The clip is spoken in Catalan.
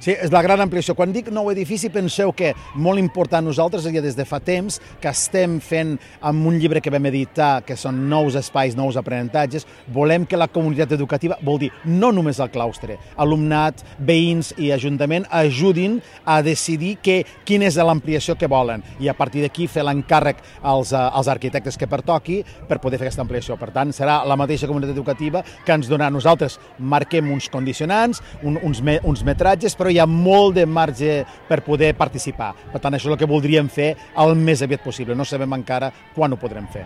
Sí, és la gran ampliació. Quan dic nou edifici, penseu que molt important nosaltres, ja des de fa temps, que estem fent amb un llibre que vam editar, que són nous espais, nous aprenentatges, volem que la comunitat educativa, vol dir no només el claustre, alumnat, veïns i ajuntament, ajudin a decidir quina és l'ampliació que volen i a partir d'aquí fer l'encàrrec als arquitectes que pertoqui per poder fer aquesta ampliació. Per tant, serà la mateixa comunitat educativa que ens donarà. Nosaltres marquem uns condicionants, uns metratges, però hi ha molt de marge per poder participar. Per tant, això és el que voldríem fer el més aviat possible. No sabem encara quan ho podrem fer.